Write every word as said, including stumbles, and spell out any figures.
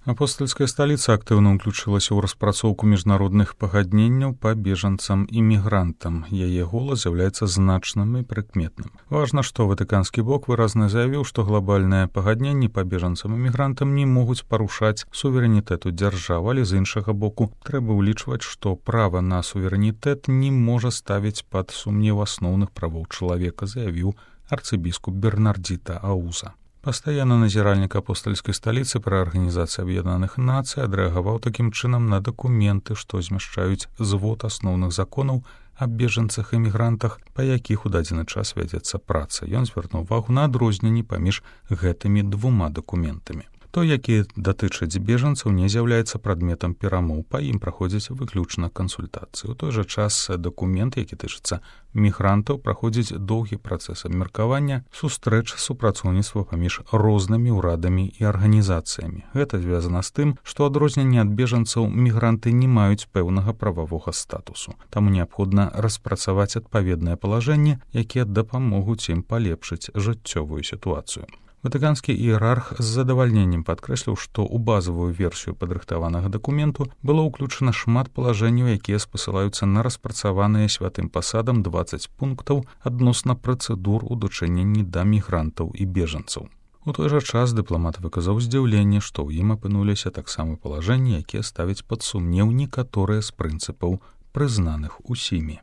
Апостольская сталіца актыўна ўключылася ў распрацоўку міжнародных пагадненняў па бежанцам і мігрантам. Яе голас з'яўляецца значным і прыкметным. Важна, што ватыканскі бок выразна заявіў, што глобальныя пагадненні па бежанцам і мігрантам не могуць парушаць суверэнітэту дзяржавы, але з іншага боку трэба ўлічваць, што права на суверэнітэт не можа ставіць пад сумнеў асноўных правоў чалавека, заявіў арцыбіскуп Бернардзіта Ауза. Пастаянны назіральнік апостальскай сталіцы пры Арганізацыі Аб'яднаных Нацый адрэагаваў такім чынам на дакументы, што змяшчаюць звод асноўных законаў аб бежанцах і мігрантах, па якіх у дадзены час вядзецца праца. Ён звярнуў увагу на адрозненні паміж гэтымі двума дакументамі. Той, які датычыць бежанцаў, не з'яўляецца прадметам перамоў, па ім праходзіць выключна кансультацыі. У той жа час дакумент, які тычыцца мігрантаў, праходзіць доўгі працэс абмеркавання, сустрэч, супрацоўніцтва паміж рознымі ўрадамі і арганізацыямі. Гэта звязана з тым, што адрозненне ад бежанцаў мігранты не маюць пэўнага прававога статусу. Таму неабходна распрацаваць адпаведнае палажэнне, якія дапамогуць ім палепшыць жыццёвую сітуацыю. Ватыканскі іерарх з задавальненнем падкрэсліў, што ў базавую версію падрыхтаванага дакументу было ўключана шмат палажэнняў, якія спасылаюцца на распрацаваныя святым пасадам дваццаць пунктаў адносна працэдур у дачыненні да мігрантаў і бежанцаў. У той жа час дыпламат выказаў здзіўленне, што ў ім апынуліся таксама палажэнні, якія ставяць пад сумнеў некаторыя з прынцыпаў, прызнаных усімі.